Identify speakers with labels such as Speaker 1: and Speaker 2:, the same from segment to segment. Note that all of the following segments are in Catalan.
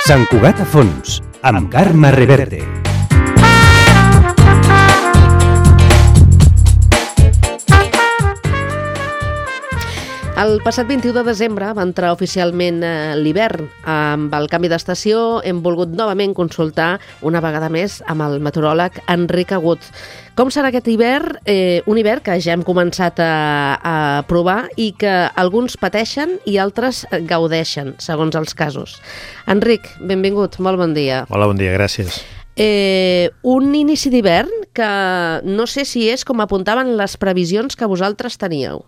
Speaker 1: Sant Cugat a fons, amb Carme Reverte.
Speaker 2: El passat 21 de desembre va entrar oficialment l'hivern. Amb el canvi d'estació hem volgut novament consultar una vegada més amb el meteoròleg Enric Agut. Com serà aquest hivern? Un hivern que ja hem començat a provar i que alguns pateixen i altres gaudeixen, segons els casos. Enric, benvingut, molt bon dia.
Speaker 3: Hola, bon dia, gràcies.
Speaker 2: Un inici d'hivern que no sé si és com apuntaven les previsions que vosaltres teníeu.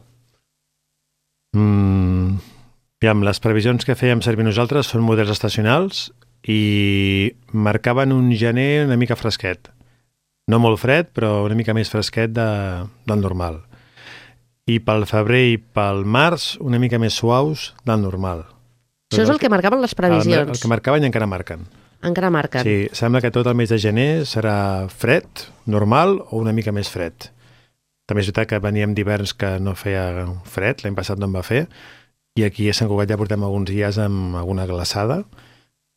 Speaker 3: Les previsions que fèiem servir nosaltres són models estacionals i marcaven un gener una mica fresquet. No molt fred, però una mica més fresquet del normal. I pel febrer i pel març una mica més suaus del normal.
Speaker 2: Això és el que marcaven les previsions.
Speaker 3: El que marcaven i encara marquen.
Speaker 2: Encara marquen.
Speaker 3: Sí, sembla que tot el mes de gener serà fred, normal o una mica més fred. També és veritat que veníem d'hiverns que no feia fred, l'any passat no en va fer, i aquí a Sant Cugat ja portem alguns dies amb alguna glaçada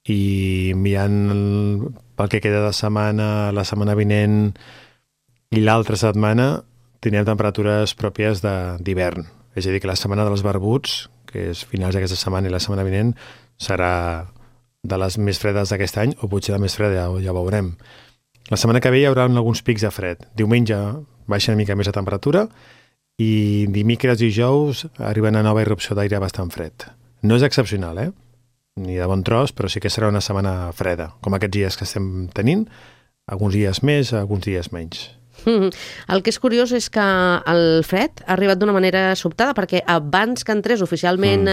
Speaker 3: i mirant pel que queda de setmana, la setmana vinent i l'altra setmana teníem temperatures pròpies d'hivern. És a dir, que la setmana dels barbuts, que és finals d'aquesta setmana i la setmana vinent, serà de les més fredes d'aquest any, o potser la més freda, ja ho veurem. La setmana que ve hi haurà alguns pics de fred. Diumenge baixa una mica més la temperatura i dimecres i dijous arriba una nova irrupció d'aire bastant fred. No és excepcional, ni de bon tros, però sí que serà una setmana freda, com aquests dies que estem tenint, alguns dies més, alguns dies menys.
Speaker 2: El que és curiós és que el fred ha arribat d'una manera sobtada, perquè abans que entrés oficialment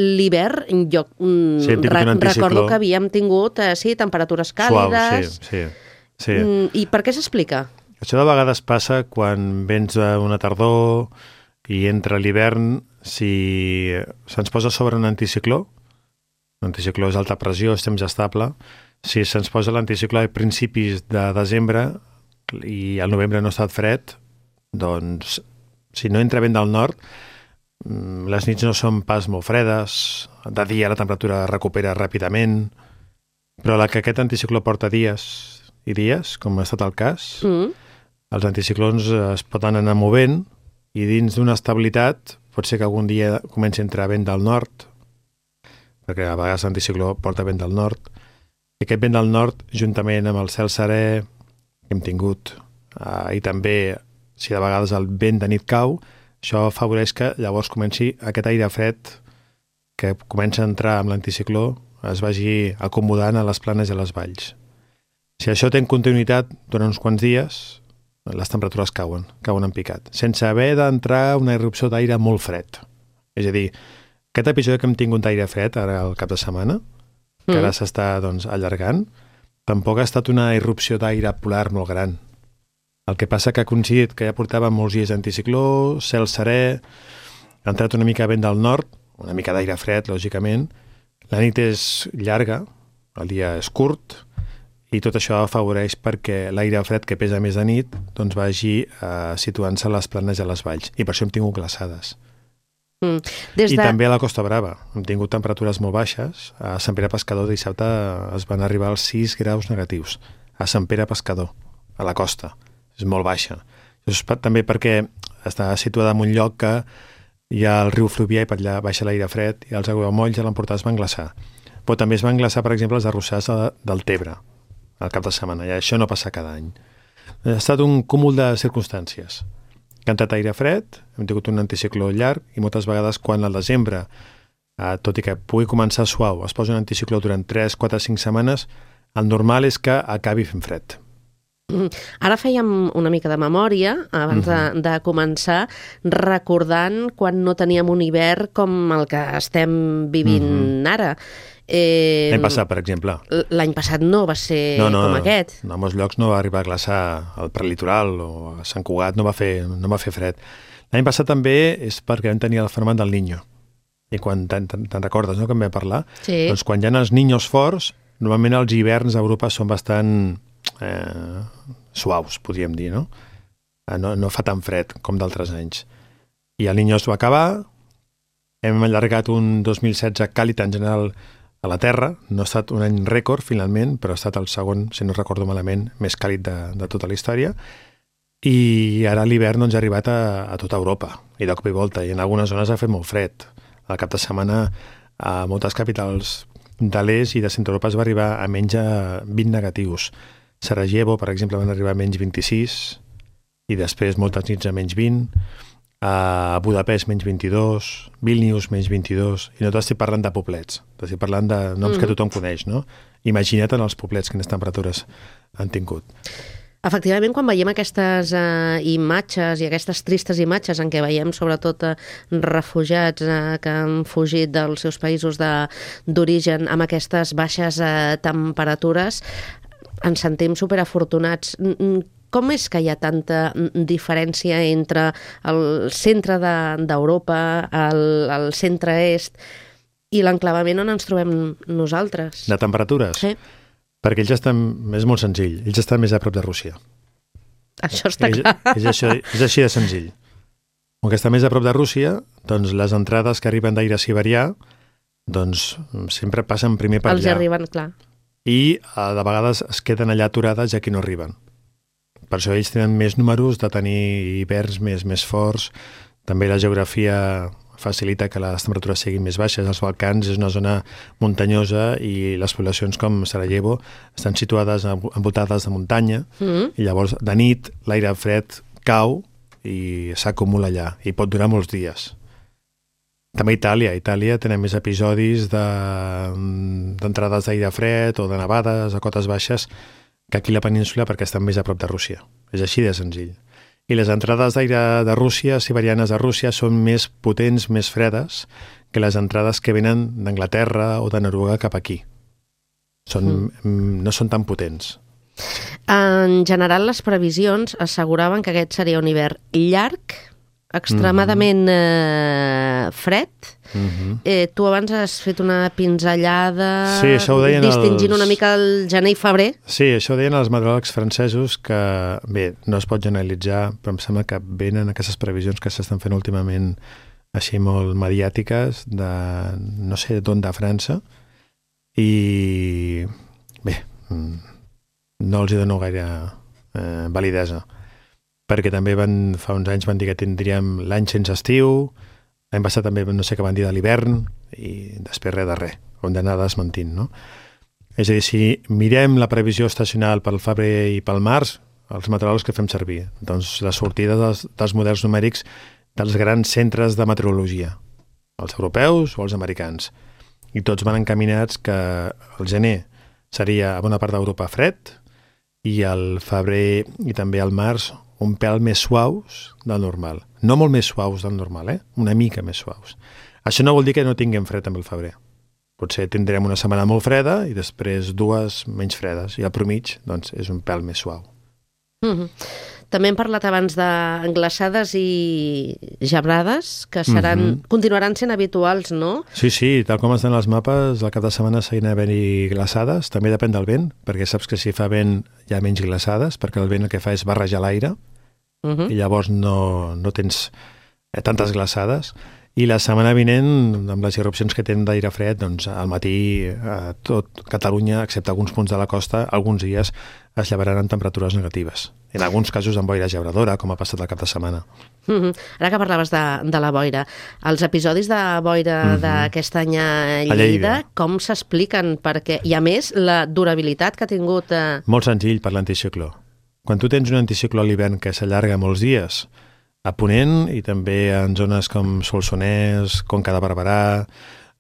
Speaker 2: l'hivern, jo recordo que havíem tingut temperatures càlides.
Speaker 3: Suau, sí.
Speaker 2: I per què s'explica?
Speaker 3: Això de vegades passa quan vens d'una tardor i entra l'hivern, si se'ns posa sobre un anticicló, l'anticicló és alta pressió, és temps estable, si se'ns posa l'anticicló a principis de desembre i al novembre no ha estat fred, doncs si no entra vent del nord, les nits no són pas molt fredes, de dia la temperatura recupera ràpidament, però la que aquest anticicló porta dies i dies, com ha estat el cas, els anticiclons es poden anar movent i dins d'una estabilitat pot ser que algun dia comenci a entrar vent del nord, perquè a vegades l'anticicló porta vent del nord, i aquest vent del nord, juntament amb el cel serè que hem tingut, i també si de vegades el vent de nit cau, això afavoreix que llavors comenci aquest aire fred que comença a entrar amb l'anticicló, es vagi acomodant a les planes i a les valls. Si això té continuïtat durant uns quants dies, les temperatures cauen en picat, sense haver d'entrar una irrupció d'aire molt fred. És a dir, aquest episodi que hem tingut d'aire fred ara al cap de setmana, que ara s'està allargant, tampoc ha estat una irrupció d'aire polar molt gran. El que passa que ha coincidit que ja portàvem molts dies d'anticicló, cel serè, ha entrat una mica vent del nord, una mica d'aire fred, lògicament, la nit és llarga, el dia és curt, i tot això afavoreix perquè l'aire fred que pesa més de nit vagi situant-se a les planes i a les valls. I per això hem tingut glaçades. I també a la Costa Brava. Hem tingut temperatures molt baixes. A Sant Pere Pescador dissabte es van arribar als 6 graus negatius. A Sant Pere Pescador, a la costa. És molt baixa. Això és també perquè està situada en un lloc que hi ha el riu Fluvià i per allà baixa l'aire fred i els aiguamolls a l'Empordà es van glaçar. Però també es van glaçar, per exemple, els arrossars del Tebre al cap de setmana, i això no passa cada any. Ha estat un cúmul de circumstàncies. Ha entrat aire fred, hem tingut un anticicló llarg, i moltes vegades quan al desembre, tot i que pugui començar suau, es posa un anticicló durant 3, 4, 5 setmanes, el normal és que acabi fent fred.
Speaker 2: Ara fèiem una mica de memòria abans de començar, recordant quan no teníem un hivern com el que estem vivint ara.
Speaker 3: L'any passat, per exemple.
Speaker 2: L'any passat no va ser com aquest.
Speaker 3: No, a molts llocs no va arribar a glaçar al prelitoral o a Sant Cugat, no va fer fred. L'any passat també és perquè vam tenir el fenomen del Niño. I quan te'n recordes, no?, que en vam parlar?
Speaker 2: Sí.
Speaker 3: Doncs quan hi ha els niños forts, normalment els hiverns a Europa són bastant suaus, podríem dir, no? No fa tan fred com d'altres anys. I el Niño es va acabar, hem allargat un 2016 càlid en general a la Terra. No ha estat un any rècord, finalment, però ha estat el segon, si no recordo malament, més càlid de tota la història. I ara l'hivern doncs, ha arribat a tota Europa, i de cop i volta, i en algunes zones ha fet molt fred. Al cap de setmana, a moltes capitals de l'est i de centre Europa es va arribar a menys 20 negatius. Sarajevo, per exemple, van arribar a menys 26, i després moltes nits a menys 20, a Budapest menys 22, Vilnius menys 22, i no t'estic parlant de poblets, t'estic parlant de noms que tothom coneix, no? Imagina't en els poblets quines temperatures han tingut.
Speaker 2: Efectivament, quan veiem aquestes imatges i aquestes tristes imatges en què veiem sobretot refugiats que han fugit dels seus països d'origen amb aquestes baixes temperatures, ens sentim superafortunats. Com és que hi ha tanta diferència entre el centre d'Europa, el centre-est i l'enclavament on ens trobem nosaltres?
Speaker 3: De temperatures?
Speaker 2: Sí.
Speaker 3: Perquè ells estan, és molt senzill, ells estan més a prop de Rússia.
Speaker 2: Això està clar.
Speaker 3: És així de senzill. Com que està més a prop de Rússia, doncs les entrades que arriben d'aire siberià doncs sempre passen primer per allà.
Speaker 2: Els arriben, clar.
Speaker 3: I de vegades es queden allà aturades i aquí no arriben. Per això ells tenen més números de tenir hiverns més forts. També la geografia facilita que les temperatures siguin més baixes. Els Balcans és una zona muntanyosa i les poblacions com Sarajevo estan situades envoltades de muntanya i llavors de nit l'aire fred cau i s'acumula allà i pot durar molts dies. També a Itàlia tenen més episodis d'entrades d'aire fred o de nevades a cotes baixes que aquí a la península perquè estan més a prop de Rússia. És així de senzill. I les entrades d'aire de Rússia, siberianes de Rússia, són més potents, més fredes que les entrades que venen d'Anglaterra o de Noruega cap aquí. No són tan potents.
Speaker 2: En general, les previsions asseguraven que aquest seria un hivern llarg, extremadament fred. Tu abans has fet una pinzellada distingint una mica el gener i febrer.
Speaker 3: Sí, això ho deien els meteoròlegs francesos que, bé, no es pot generalitzar, però em sembla que venen aquestes previsions que s'estan fent últimament així molt mediàtiques de no sé d'on de França i bé, no els hi dono gaire validesa. Perquè també fa uns anys van dir que tindríem l'any sense estiu, l'any passat també no sé què van dir de l'hivern, i després res de res, ho hem d'anar desmentint, no? És a dir, si mirem la previsió estacional pel febrer i pel març, els meteoròlegs que fem servir, doncs la sortida dels models numèrics dels grans centres de meteorologia, els europeus o els americans, i tots van encaminats que el gener seria a bona part d'Europa fred, i el febrer i també el març un pèl més suaus del normal. No molt més suaus del normal, una mica més suaus. Això no vol dir que no tinguem fred amb el febrer. Potser tindrem una setmana molt freda i després 2 menys fredes. I al promig, doncs, és un pèl més suau.
Speaker 2: També hem parlat abans de glaçades i gebrades, que continuaran sent habituals, no?
Speaker 3: Sí, tal com estan els mapes, al cap de setmana seguirà havent-hi glaçades. També depèn del vent, perquè saps que si fa vent hi ha menys glaçades, perquè el vent el que fa és barrejar l'aire, i llavors no tens tantes glaçades. I la setmana vinent, amb les irrupcions que tenen d'aire fred, doncs al matí a tot Catalunya, excepte alguns punts de la costa, alguns dies es llevaran amb temperatures negatives. En alguns casos amb boira gebradora, com ha passat el cap de setmana.
Speaker 2: Ara que parlaves de la boira, els episodis de boira d'aquest any a Lleida, com s'expliquen? Perquè, i a més, la durabilitat que ha tingut...
Speaker 3: Molt senzill per l'anticicló. Quan tu tens un anticicló a l'hivern que s'allarga molts dies, a Ponent i també en zones com Solsonès, Conca de Barberà,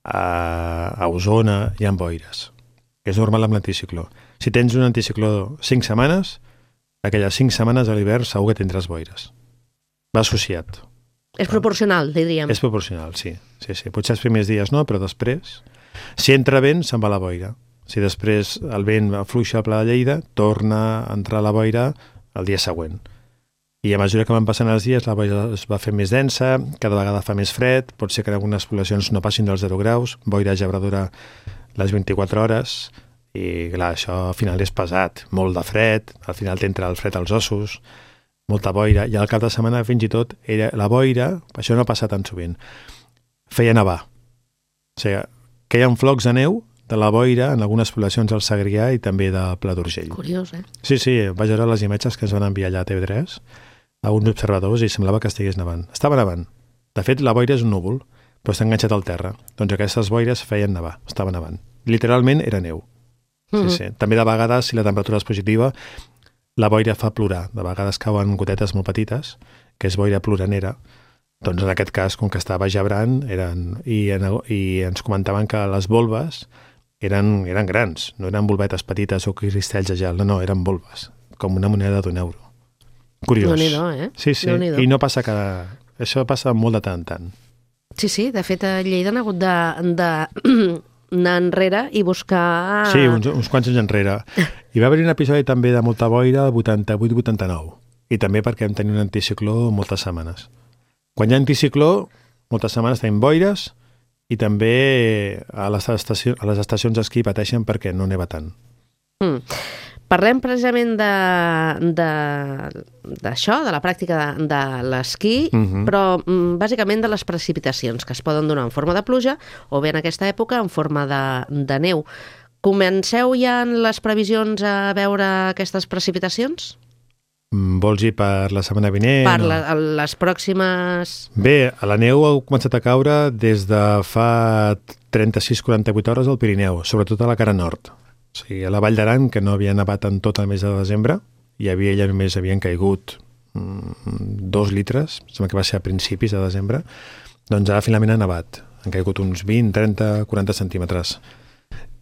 Speaker 3: a Osona, hi ha boires. És normal amb l'anticicló. Si tens un anticicló 5 setmanes, aquelles 5 setmanes a l'hivern segur que tindràs boires. Va associat.
Speaker 2: És proporcional, diríem.
Speaker 3: És proporcional, sí. Potser els primers dies no, però després... Si entra vent, se'n va la boira. Si després el vent afluixa al Pla de Lleida, torna a entrar la boira el dia següent. I a mesura que van passant els dies, la boira es va fer més densa, cada vegada fa més fred, pot ser que en algunes poblacions no passin dels 0 graus, boira gebradora les 24 hores, i clar, això al final és pesat, molt de fred, al final t'entra el fred als ossos, molta boira, i al cap de setmana fins i tot la boira, això no passa tan sovint, feia nevar. O sigui, queien flocs de neu de la boira en algunes poblacions del Segrià i també de Pla d'Urgell.
Speaker 2: Curiós, eh?
Speaker 3: Sí, vaig veure les imatges que ens van enviar allà a TV3 a uns observadors i semblava que estigués nevant. Estava nevant. De fet, la boira és un núvol, però està enganxat al terra. Doncs aquestes boires feien nevar, estava nevant. Literalment era neu. Sí. També de vegades, si la temperatura és positiva, la boira fa plorar. De vegades cauen gotetes molt petites, que és boira ploranera. Doncs en aquest cas, com que estava gebrant, i ens comentaven que les volves eren grans, no eren volvetes petites o cristalls de gel, no, eren volves, com una moneda d'un euro. Curiós.
Speaker 2: Déu-n'hi-do, eh?
Speaker 3: Sí, i no passa això passa molt de tant en tant.
Speaker 2: Sí, de fet a Lleida han hagut d'anar enrere i buscar...
Speaker 3: Sí, uns quants anys enrere. Hi va haver un episodi també de molta boira el 88-89, i també perquè vam tenir un anticicló moltes setmanes. Quan hi ha anticicló, moltes setmanes tenim boires i també a les estacions d'esquí pateixen perquè no neva tant.
Speaker 2: Parlem precisament d'això, de la pràctica de l'esquí, però bàsicament de les precipitacions que es poden donar en forma de pluja o bé en aquesta època en forma de neu. Comenceu ja en les previsions a veure aquestes precipitacions?
Speaker 3: Vols dir per la setmana vinent?
Speaker 2: Per les pròximes...
Speaker 3: Bé, la neu ha començat a caure des de fa 36-48 hores al Pirineu, sobretot a la cara nord. O sigui, a la Vall d'Aran, que no havia nevat en tot el mes de desembre, ja només havien caigut 2 litres, sembla que va ser a principis de desembre, doncs ara finalment ha nevat. Han caigut uns 20, 30, 40 centímetres.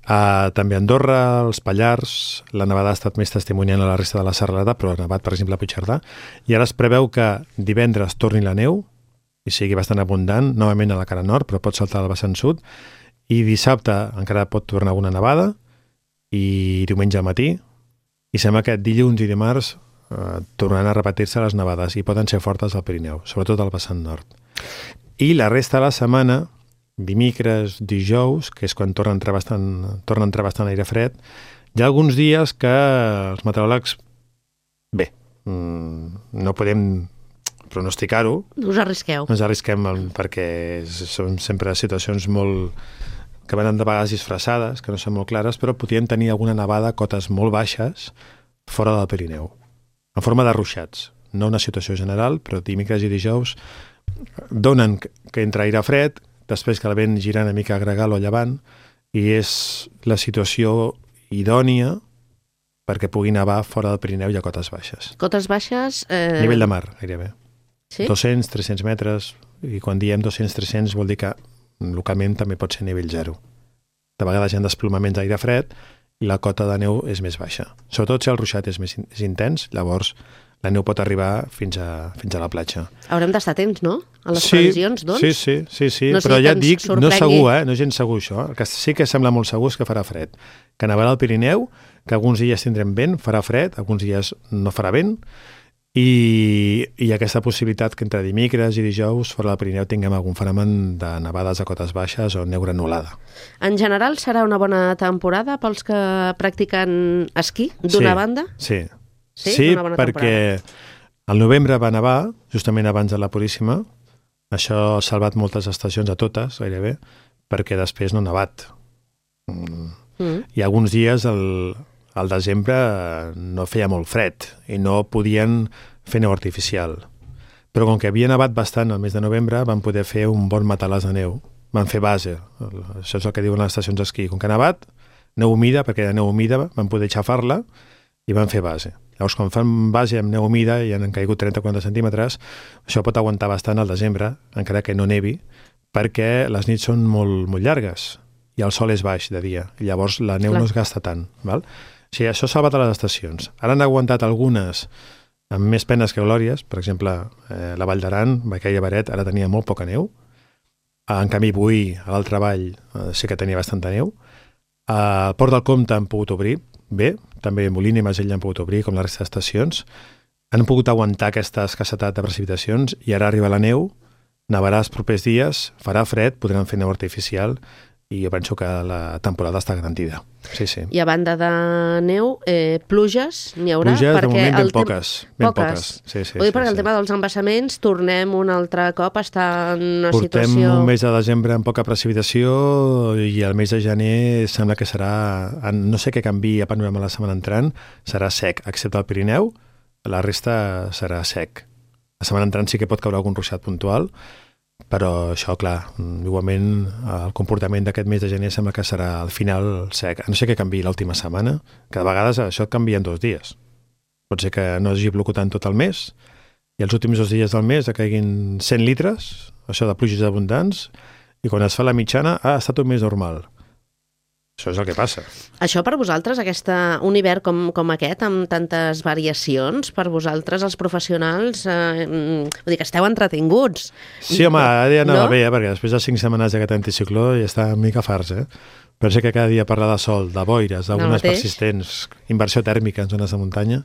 Speaker 3: També a Andorra, als Pallars, la nevada ha estat més testimoniant a la resta de la serralada, però ha nevat, per exemple, a Puigcerdà. I ara es preveu que divendres torni la neu, i sigui bastant abundant, novament a la cara nord, però pot saltar al vessant sud, i dissabte encara pot tornar alguna nevada, i diumenge al matí, i sembla que dilluns i dimarts tornaran a repetir-se les nevades, i poden ser fortes al Pirineu, sobretot al vessant nord. I la resta de la setmana, dimecres, dijous, que és quan torna a entrar bastant aire fred, hi ha alguns dies que els meteoròlegs, no podem pronosticar-ho.
Speaker 2: No us arrisqueu.
Speaker 3: No ens arrisquem perquè són sempre situacions molt que venen de vegades disfressades, que no són molt clares, però podríem tenir alguna nevada a cotes molt baixes fora del Pirineu, en forma de ruixats. No una situació general, però dimecres i dijous donen que entra aire fred, després que el vent gira una mica a gregal o llevant, i és la situació idònia perquè pugui nevar fora del Pirineu i a cotes baixes.
Speaker 2: Cotes baixes...
Speaker 3: Nivell de mar, gairebé.
Speaker 2: Sí?
Speaker 3: 200-300 metres, i quan diem 200-300 vol dir que localment també pot ser nivell zero. De vegades hi ha desplomaments d'aire fred i la cota de neu és més baixa. Sobretot si el ruixat és més intens, llavors la neu pot arribar fins a la platja.
Speaker 2: Haurem d'estar atents, no? A les previsions, doncs?
Speaker 3: Sí, no, però ja et dic, no és segur, no és gens segur això. El que sí que sembla molt segur és que farà fred. Que nevarà al Pirineu, que alguns dies tindrem vent, farà fred, alguns dies no farà vent, i aquesta possibilitat que entre dimecres i dijous fora del Pirineu tinguem algun fenomen de nevades a cotes baixes o neu granulada.
Speaker 2: En general serà una bona temporada pels que practiquen esquí, d'una banda?
Speaker 3: Sí, perquè al novembre va nevar, justament abans de la Puríssima. Això ha salvat moltes estacions, a totes, gairebé, perquè després no ha nevat. I alguns dies al desembre no feia molt fred i no podien fer neu artificial. Però com que havia nevat bastant el mes de novembre, van poder fer un bon matalàs de neu. Van fer base. Això és el que diuen les estacions d'esquí. Com que ha nevat, neu humida, perquè era neu humida, van poder xafar-la i van fer base. Llavors, quan fan base amb neu humida i han caigut 30-40 centímetres, això pot aguantar bastant al desembre, encara que no nevi, perquè les nits són molt, molt llargues i el sol és baix de dia. I llavors la neu no es gasta tant. Val? O sigui, això ha salvat a les estacions. Ara han aguantat algunes amb més penes que glòries. Per exemple, la Vall d'Aran, Baquella i Baret, ara tenia molt poca neu. En canvi, Boí, a l'altra vall, sí que tenia bastanta neu. Al Port del Comte han pogut obrir bé, també Molina i Masell han pogut obrir, com la resta d'estacions. Han pogut aguantar aquesta escassetat de precipitacions i ara arriba la neu, nevarà els propers dies, farà fred, podran fer neu artificial i jo penso que la temporada està garantida. Sí, sí.
Speaker 2: I a banda de neu, pluges n'hi haurà?
Speaker 3: Pluges, de moment, ben
Speaker 2: poques.
Speaker 3: poques. Sí,
Speaker 2: Ho dic perquè el tema dels embassaments, tornem un altre cop a estar en una situació...
Speaker 3: Portem un mes de desembre amb poca precipitació i el mes de gener sembla que serà... No sé què canvi a panorama la setmana entrant, serà sec, excepte el Pirineu, la resta serà sec. La setmana entrant sí que pot caure algun ruixat puntual, però això, clar, igualment el comportament d'aquest mes de gener sembla que serà al final sec. No sé què canvi l'última setmana, que de vegades això et canvia en 2 dies. Pot ser que no hagi plogut tant tot el mes i els últims 2 dies del mes caiguin 100 litres, això de pluges abundants, i quan es fa la mitjana ha estat un mes normal. Això és el que passa.
Speaker 2: Això per vosaltres, un hivern com aquest, amb tantes variacions, per vosaltres, els professionals, vull dir que esteu entretinguts.
Speaker 3: Sí, home, ara ja anava bé, perquè després de 5 setmanes d'aquest anticicló ja està una mica farts, Però sé que cada dia parlar de sol, de boires, d'algunes persistents, inversió tèrmica en zones de muntanya,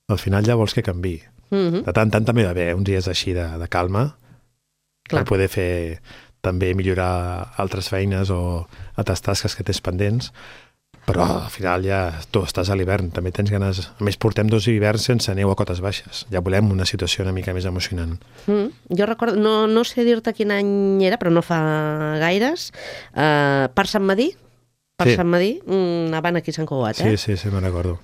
Speaker 3: al final ja vols que canvi. De tant també va bé uns dies així de calma, per poder fer... també millorar altres feines o altres tasques que tens pendents, però al final ja tu estàs a l'hivern, també tens ganes... A més, portem 2 hiverns sense neu a cotes baixes. Ja volem una situació una mica més emocionant.
Speaker 2: Jo recordo, no sé dir-te quin any era, però no fa gaires, per Sant Madí, anaven aquí a Sant Cugat,
Speaker 3: Sí, me'n recordo.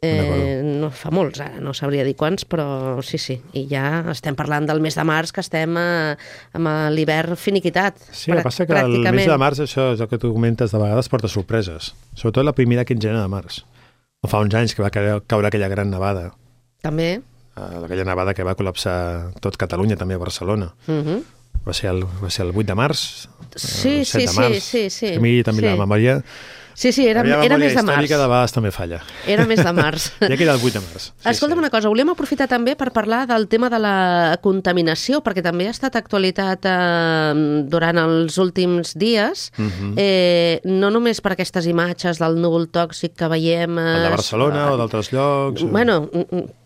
Speaker 2: No fa molts, ara no sabria dir quants, però sí, i ja estem parlant del mes de març, que estem amb l'hivern finiquitat.
Speaker 3: Sí, el que passa que el mes de març, això és el que tu comentes, de vegades porta sorpreses, sobretot la primera quinzena de març. O fa uns anys que va caure aquella gran nevada.
Speaker 2: També.
Speaker 3: Aquella nevada que va col·lapsar tot Catalunya, també a Barcelona. Va ser el 8 de març, el 7 de març.
Speaker 2: Sí.
Speaker 3: A mi també la memòria...
Speaker 2: Sí, era mes de març.
Speaker 3: La memòria històrica de vegades també falla.
Speaker 2: Era mes de març.
Speaker 3: Ja queda el 8 de març.
Speaker 2: Escolta'm una cosa, volíem aprofitar també per parlar del tema de la contaminació, perquè també ha estat actualitat durant els últims dies, no només per aquestes imatges del núvol tòxic que veiem...
Speaker 3: El de Barcelona o d'altres llocs...
Speaker 2: Bueno,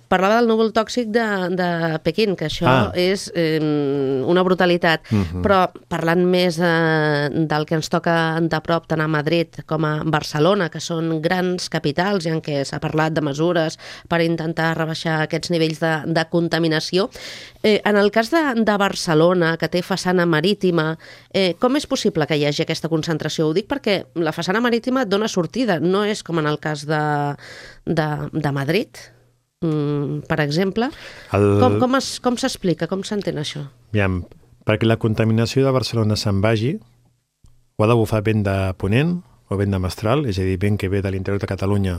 Speaker 2: parlava del núvol tòxic de Pequín, que això és una brutalitat, però parlant més del que ens toca de prop tant a Madrid com a Barcelona, que són grans capitals i en què s'ha parlat de mesures per intentar rebaixar aquests nivells de contaminació. En el cas de Barcelona, que té façana marítima, com és possible que hi hagi aquesta concentració? Ho dic perquè la façana marítima dona sortida, no és com en el cas de Madrid, per exemple. Com s'explica, com s'entén això?
Speaker 3: Aviam, perquè la contaminació de Barcelona se'n vagi, o ha de bufar vent de ponent o vent de mestral, és a dir, vent que ve de l'interior de Catalunya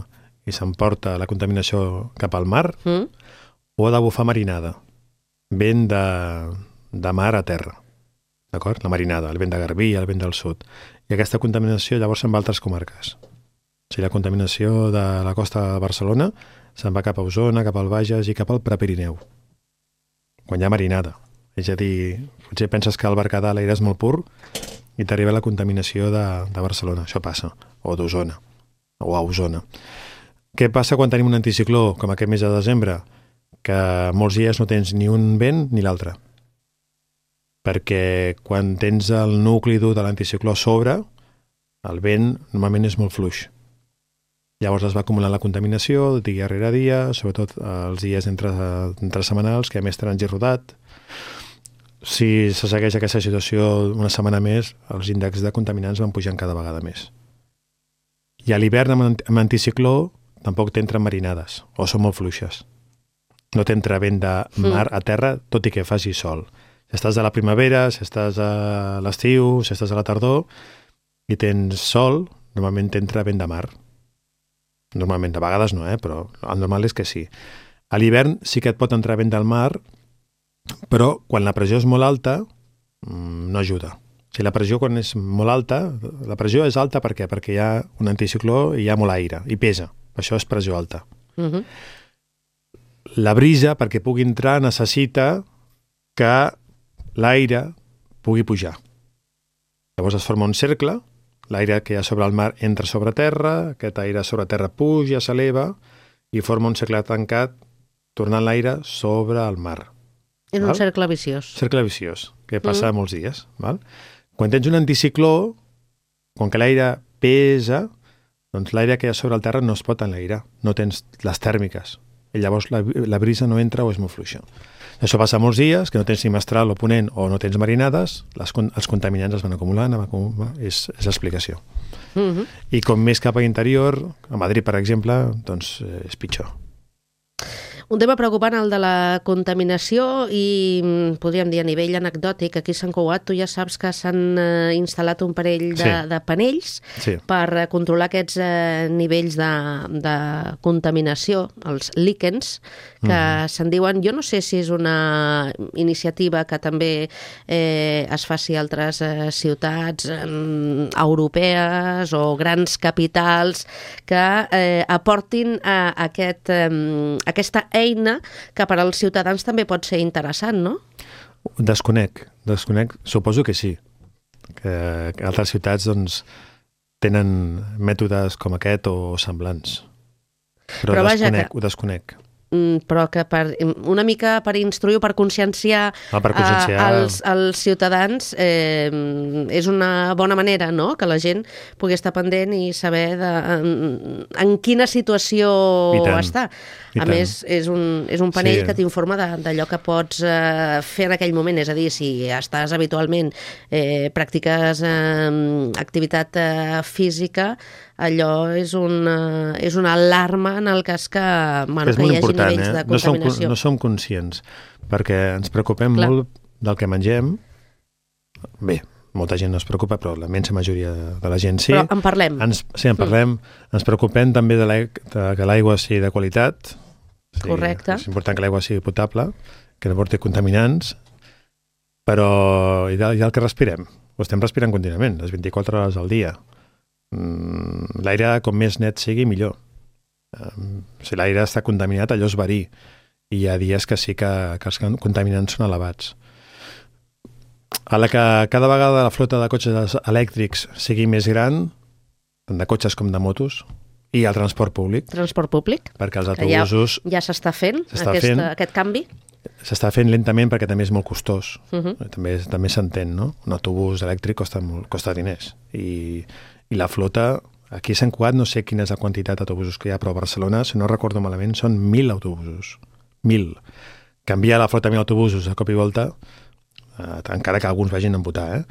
Speaker 3: i s'emporta la contaminació cap al mar, o ha de bufar marinada, vent de mar a terra. D'acord? La marinada, el vent de Garbí, el vent del sud. I aquesta contaminació llavors se'n va a altres comarques. O sigui, la contaminació de la costa de Barcelona se'n va cap a Osona, cap al Bages i cap al Prepirineu, quan hi ha marinada. És a dir, potser penses que al Berguedà l'aire és molt pur i t'arriba la contaminació de Barcelona. Això passa. O d'Osona. O a Osona. Què passa quan tenim un anticicló, com aquest mes de desembre? Que molts dies no tens ni un vent ni l'altre. Perquè quan tens el nucli dur de l'anticicló a sobre, el vent normalment és molt fluix. Llavors es va acumulant la contaminació dia rere dia, sobretot els dies entre setmanals, que a més trànsit rodat. Si se segueix aquesta situació una setmana més, els índexs de contaminants van pujant cada vegada més. I a l'hivern amb anticicló tampoc t'entren marinades, o són molt fluixes. No t'entra vent de mar a terra, tot i que faci sol. Si estàs a la primavera, si estàs a l'estiu, si estàs a la tardor, i tens sol, normalment t'entra vent de mar. Normalment, de vegades no, però el normal és que sí. A l'hivern sí que et pot entrar vent del mar, però quan la pressió és molt alta, no ajuda. Si la pressió quan és molt alta, la pressió és alta per què? Perquè hi ha un anticicló i hi ha molt aire, i pesa. Això és pressió alta. La brisa, perquè pugui entrar, necessita que l'aire pugui pujar. Llavors es forma un cercle, l'aire que hi ha sobre el mar entra sobre terra, aquest aire sobre terra puja, s'eleva i forma un cercle tancat, tornant l'aire sobre el mar.
Speaker 2: És un cercle viciós.
Speaker 3: Cercle viciós, que passa molts dies. Val? Quan tens un anticicló, com que l'aire pesa, doncs l'aire que hi ha sobre el terra no es pot enlairar, no tens les tèrmiques, i llavors la brisa no entra o és molt fluixa. Això passa molts dies, que no tens ni mestral o ponent o no tens marinades, els contaminants es van acumulant, és l'explicació. I com més cap a interior, a Madrid, per exemple, doncs és pitjor.
Speaker 2: Un tema preocupant, el de la contaminació, i podríem dir a nivell anecdòtic, aquí a Sant Cugat tu ja saps que s'han instal·lat un parell de panells per controlar aquests nivells de contaminació, els líquens, que se'n diuen, jo no sé si és una iniciativa que també es faci a altres ciutats europees o grans capitals que aportin aquesta eina que per als ciutadans també pot ser interessant, no?
Speaker 3: Desconec. Suposo que sí. Que altres ciutats doncs, tenen mètodes com aquest o semblants. Però ho desconec.
Speaker 2: Però que una mica per instruir o per conscienciar els ciutadans és una bona manera, no?, que la gent pugui estar pendent i saber en quina situació està. A més, és un panell que t'informa d'allò que pots fer en aquell moment, és a dir, si estàs habitualment, practiques activitat física, allò és una alarma en el cas que hi hagi nivells de contaminació.
Speaker 3: No som conscients, perquè ens preocupem molt del que mengem. Bé, molta gent no es preocupa, però la immensa majoria de la gent sí.
Speaker 2: Però en parlem.
Speaker 3: En parlem. Ens preocupem també de que l'aigua sigui de qualitat.
Speaker 2: Correcte.
Speaker 3: És important que l'aigua sigui potable, que no porti contaminants, però i el que respirem? Ho estem respirant contínuament, les 24 hores al dia. L'aire, com més net sigui, millor. Si l'aire està contaminat, allò es verí. I hi ha dies que sí que els contaminants són elevats. A la que cada vegada la flota de cotxes elèctrics sigui més gran, tant de cotxes com de motos, i el transport públic.
Speaker 2: Transport públic.
Speaker 3: Perquè els autobusos...
Speaker 2: Ja s'està fent aquest canvi?
Speaker 3: S'està fent lentament perquè també és molt costós. També s'entén, no? Un autobús elèctric costa diners. I la flota, aquí a Sant Cugat no sé quina és la quantitat d'autobusos que hi ha, però a Barcelona, si no recordo malament, són 1.000 autobusos. 1.000. Canviar la flota a 1.000 autobusos a cop i volta, encara que alguns vagin a votar,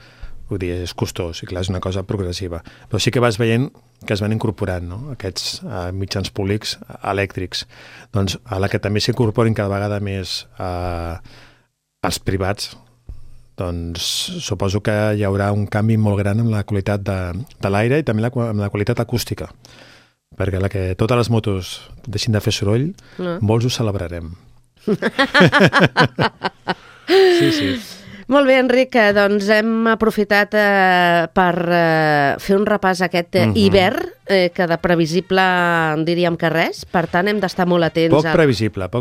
Speaker 3: vull dir, és costós, i clar, és una cosa progressiva. Però sí que vas veient que es van incorporant, no?, aquests mitjans públics elèctrics. Doncs a la que també s'incorporin cada vegada més els privats, doncs suposo que hi haurà un canvi molt gran en la qualitat de l'aire i també en la qualitat acústica. Perquè a la que totes les motos deixin de fer soroll, molts ho celebrarem. Sí.
Speaker 2: Molt bé, Enric, doncs hem aprofitat per fer un repàs aquest hivern, que de previsible diríem que res, per tant hem d'estar molt atents.
Speaker 3: Poc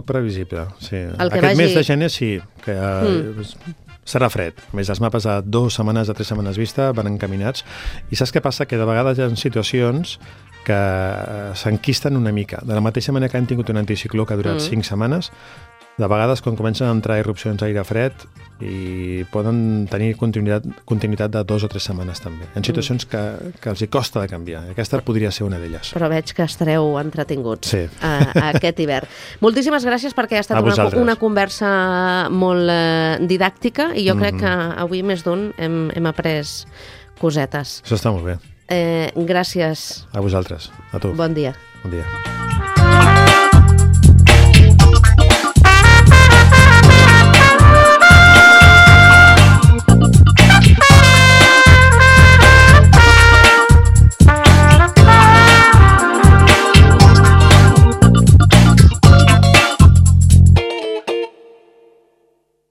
Speaker 3: previsible, sí. Aquest mes de gener sí, que serà fred. A més, els mapes a 2 setmanes, a 3 setmanes vista van encaminats. I saps què passa? Que de vegades hi ha situacions que s'enquisten una mica. De la mateixa manera que han tingut un anticicló que ha durat 5 setmanes, de vegades quan comencen a entrar irrupcions d'aire fred i poden tenir continuïtat de 2 o 3 setmanes també. Hi ha situacions que els hi costa de canviar. Aquesta podria ser una d'elles.
Speaker 2: Però veig que estareu entretinguts aquest hivern. Moltíssimes gràcies perquè ha estat una conversa molt didàctica i jo crec que avui més d'un hem après cosetes.
Speaker 3: Això està molt bé.
Speaker 2: Gràcies.
Speaker 3: A vosaltres, a tu.
Speaker 2: Bon dia.
Speaker 3: Bon dia.